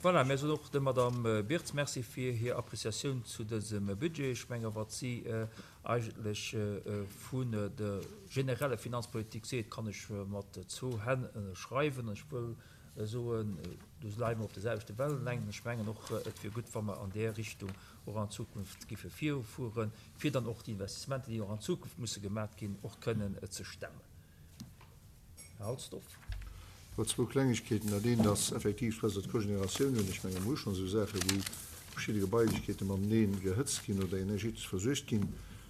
Voilà, mir soen och der Madame Birtz Merci fir hir Appréciatioun zu dësem Budget. Ech menge wat si eigentlech vun der genereller Finanzpolitik seet, kann ech mat zwou Hänn ënnerschreiwen. An ech wëll soen, do leie mer op der selwechte Wellenlängt. An ech mengen och, et wier gutt, wa mer an där Richtung och an Zukunft giffe virufueren, fir dann och déi Investissementer, déi och an Zukunft musse gemat ginn, och kënnen ze stemmen. Här Halsdorf. Jo, zwou Klengegkeeten. Dat eent ass effektiv, wat d'Cogénératioun un. Ech menge mer hu schonn esou Saache wou verschidde Gebailechkeete matenee gehëtzt ginn oder energetesch versuergt ginn.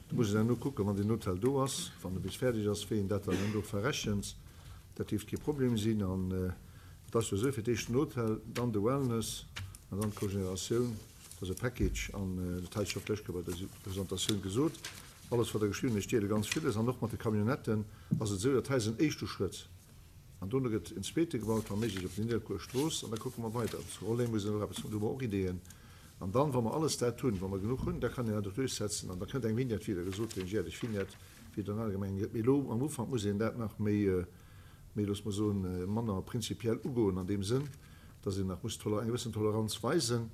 Do muss een herno kucken, wann deen Hotel do ass, wann e bis fäerdeg ass, wéi een dat dann herno verrechent. Dat dierft kee Problem sinn. An et ass jo esou, fir d'éischt den Hotel, dann de Wellness an dann d'Cogénératioun. Dat ass e Package an dat hat ech och d'lescht Kéier bei der Presentatioun gesot. Alles wat Der geschriwwen hutt, ech deele ganz villes. An och mat de Camionnetten ass et esou, dat hei ass en éischte Schrëtt an dono gëtt en zweete gebaut, wa méiglech op der Nidderkuer Strooss an da kucke mer weider. Zu Rolleng muss een och eppes, do hu mer och Ideeën. An dann, wa mer alles dat hunn, wa mer genuch hunn, da kann een dat och duerchsetzen an da kënnt eng Vignette, wéi Der gesot hutt, eng jäerlech Vignette, wéi et an anere Gemengen gëtt. Mee elo am Ufank muss een dat nach méi, méi, loosse mer soen, manner prinzipiell ugoen an deem Sënn, dass een nach muss eng gewëssen Toleranz weisen.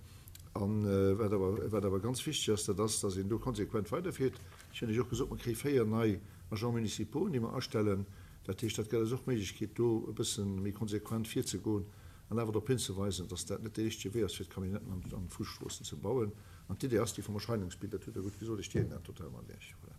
A wat awer, wat awer ganz wichteg ass, dat ass, dass een do konsequent weiderfiert. Ech hunn lech och gesot, mer kréie 4 nei Agents municipaux, déi mer astellen. Dat heescht, dat gëtt eis och d'Méiglechkeet, do e bësse méi konsequent virzegoen an awer drop hinzeweisen, dass dat net dee richtege Wee ass, fir d'Camionnetten an d'Fuesstroossen ze bauen. An d'Idee ass déi vum Erscheinungsbild, dat hutt Der gutt gesot, ech deelen dat total mat Iech. Voilà.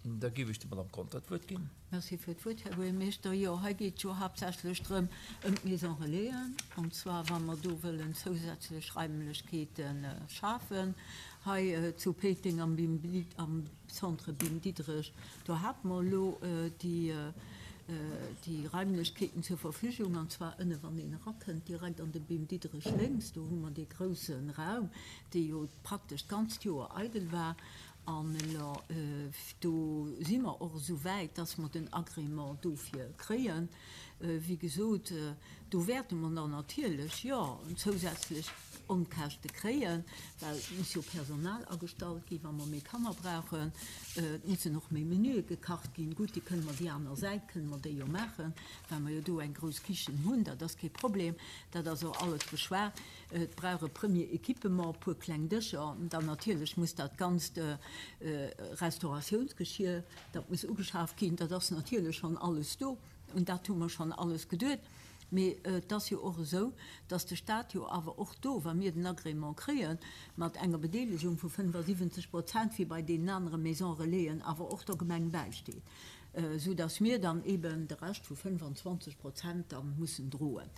Da géif ech der Madame Conter d'Wuert ginn. Merci fir d'Wuert, Här Buergermeeschter. Jo, hei geet et jo haaptsächlech drëm, ëm d'Maison Relaisen, an zwar wa mer do wëllen zousätzlech Raimlechkeete schafen. Hei zu Péiteng am Bim, am Centre Bim Diderich, do hate mer elo déi, déi Raimlechkeeten zur Verfügung, an zwar ënne wann een erakënnt, direkt an de Bim Diderich lénks, do hu mer dee grousse Raum, dee jo praktesch d'ganzt Joer eidel war. An elo, do si mer och esou wäit, dass mer den Agrément dofir kréien. Wéi gesot, do wäerte mer dann natierlech, jo, zousätzlech Onkäschte kréien, well et muss jo Personal agestallt ginn, wa mer méi Kanner brauchen. Et mussen och méi Menüe gekacht ginn. Gutt, déi kënne mer déi aner Säit kënne mer déi jo maachen, well mer jo do eng grouss Kichen hunn. Dat ass kee Problem. Dat ass och alles beschwat. Et brauch e Premier Equipement, e puer kleng Dëscher, dann natierlech muss dat ganzt Restauratiounsgeschier, dat muss ugeschaaft ginn. Dat ass natierlech schonn alles do, un dat hu mer schonn alles geduet. Mee et ass jo och esou, datt de Stat jo awer och do, wa mir den Agrément kréien, mat enger Bedeelegung vu 75 Prozent, wéi bei deenen anere Maisons Relaisen, awer och der Gemeng bäisteet. Sou dass mir dann eben de Rescht vu 25 Prozent dann mussen droen.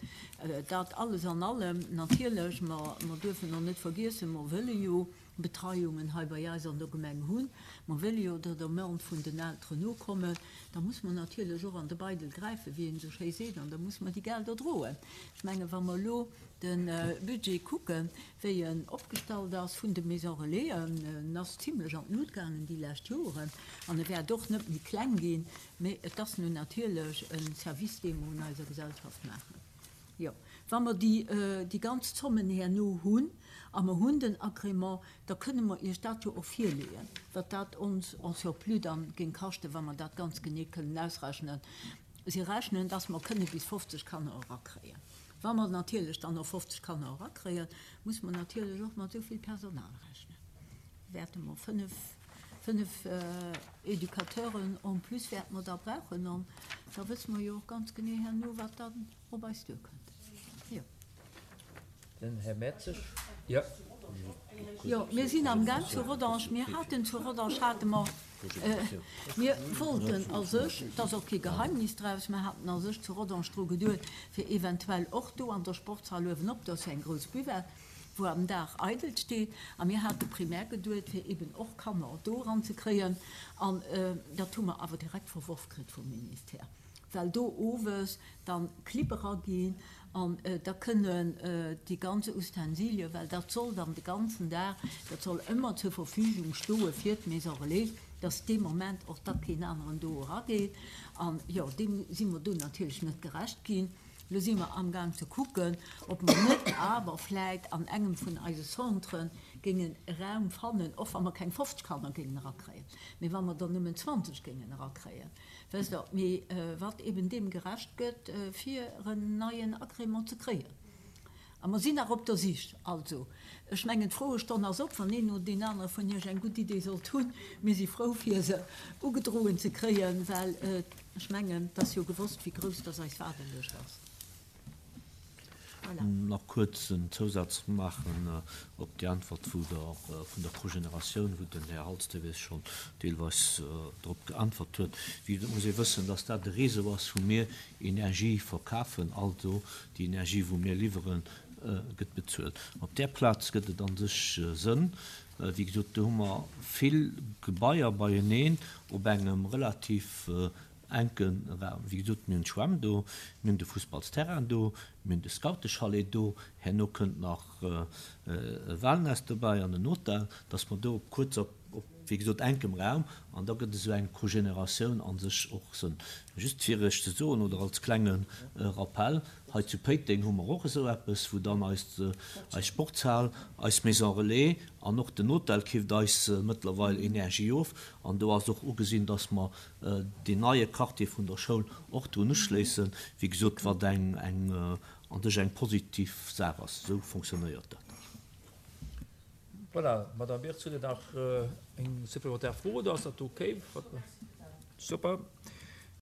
Dat alles an allem natierlech, mer duerfen och net vergiessen, mer wëlle jo Betreiungen hei bei eis an der Gemeng hunn, mer wëlle jo der Demande vun den Elteren nokommen, da muss mer natierlech och an de Beidel gräifen, wéi een esou schéi seet, an da muss mer déi Gelder droen. Ech mengen, wa mer elo de Budget kucken, wéi en opgestallt ass vun de Maisons Relaisen, en ass zimlech an d'Lut gaangen déi lescht Joren an e wäert och net méi kleng ginn, mee et ass nun natierlech e Service, dee mer un eiser Gesellschaft maachen. Jo, wa mer déi ganz Zommen herno hunn a mer hunn den Agrément, da kënne mer Iech dat jo och virleeën, wat dat ons en surplus dann géing kaschten, wa mer dat ganz genee kënnen ausrechnen. Si rechnen, dass mer kënne bis 50 Kanner erakréien. Wa mer natierlech dann och 50 Kanner erakréien, muss mer natierlech och mat esou vill Personal rechnen. Wäerte mer fënnef, fënnef Educateuren en plus wäerte mer da brauchen an da wësse mer jo och ganz genee herno, wat dann op eis duerkënnt. Jo. Den Här Mertzig. Jo. Jo, mir sinn amgaang zu Rodange. Mir haten zu Rodange hate mer, mir wollten a sech, et ass och kee Geheimnis draus, mir haten a sech zu Rodange dru geduet, fir eventuell och do an der Sportshal uewenop, do ass jo eng grouss Buvette, wou am Dag eidel steet, a mir hate primär geduet, fir eben och Kanner do eranzekréien. An dat hu mer awer direkt verworf kritt vum Ministère. well do owes dann Clibb eraginn an da kënnen déi ganz Ustensilien, well dat soll dann de ganzen Dag, dat soll ëmmer zur Verfügung stoe fir d'Maison Relais, dass dee Moment och da keen aneren do erageet. An jo, deem si mer do natierlech net gerecht ginn. Lo si mer amgaang ze kucken, ob mer net awer vläit an engem vun eise Centren géingen e Raum fannen, och wa mer keng 50 Kanner géingen erakréien, mee wa mer der nëmmen 20 géingen erakréien. Wësst Der, mee wat eben deem gerecht gëtt, fir en neien Agrément ze kréien. A mer sinn nach op der Sich. Also, ech mengen, d'Froestonn ass op. Wann een oder deen anere vun Iech eng gutt Idee sollt hunn, mir si frou, fir se ugedroen ze kréien, well ech mengen, et ass jo gewosst, wéi grouss dass eis Waardelëscht ass. Voilà. Nach kuerz en Zousaz maachen op déi Äntwert vun der Cogénératioun, wou den Här Halsdewes schonn deelweis drop geäntwert huet. Wéi gesot, muss ee wëssen, dass dat e Réseau ass, wou mir Energie verkafen, also déi Energie, wou mir liwweren, gëtt bezuelt. Op där Plaz gëtt et a sech Sënn. Wéi gesot, do hu mer vill Gebaier beieneen op engem relativ enke Raum. Wéi gesot, mir hunn d'Schwämm do, mir hunn de Fussballsterrain do, mir hunn de Scoutechalet do, herno kënnt nach e Wellness dobäi an en Hotel, dass mer do op kuerzer, op, wéi gesot, enkem Raum, an da gëtt esou eng Cogénératioun a sech och Sënn. Just fir Iech ze soen oder als klenge Rappell, Hei zu Péiteng hu mer och esou eppes, wou dann eis, eis Sportshal, eis Maison Relais an och den Hotel keeft eis mëttlerweil Energie of. An do ass och ugesinn, dass mer deen neie Quartier vun der Schoul och drun uschléissen, wéi gesot, wat eng, eng an sech eng positiv Saach ass. Esou fonctionnéiert dat. Voilà, Madame Wirtz, hutt Dir nach eng supplémentaire Fro oder ass dat ok? Super.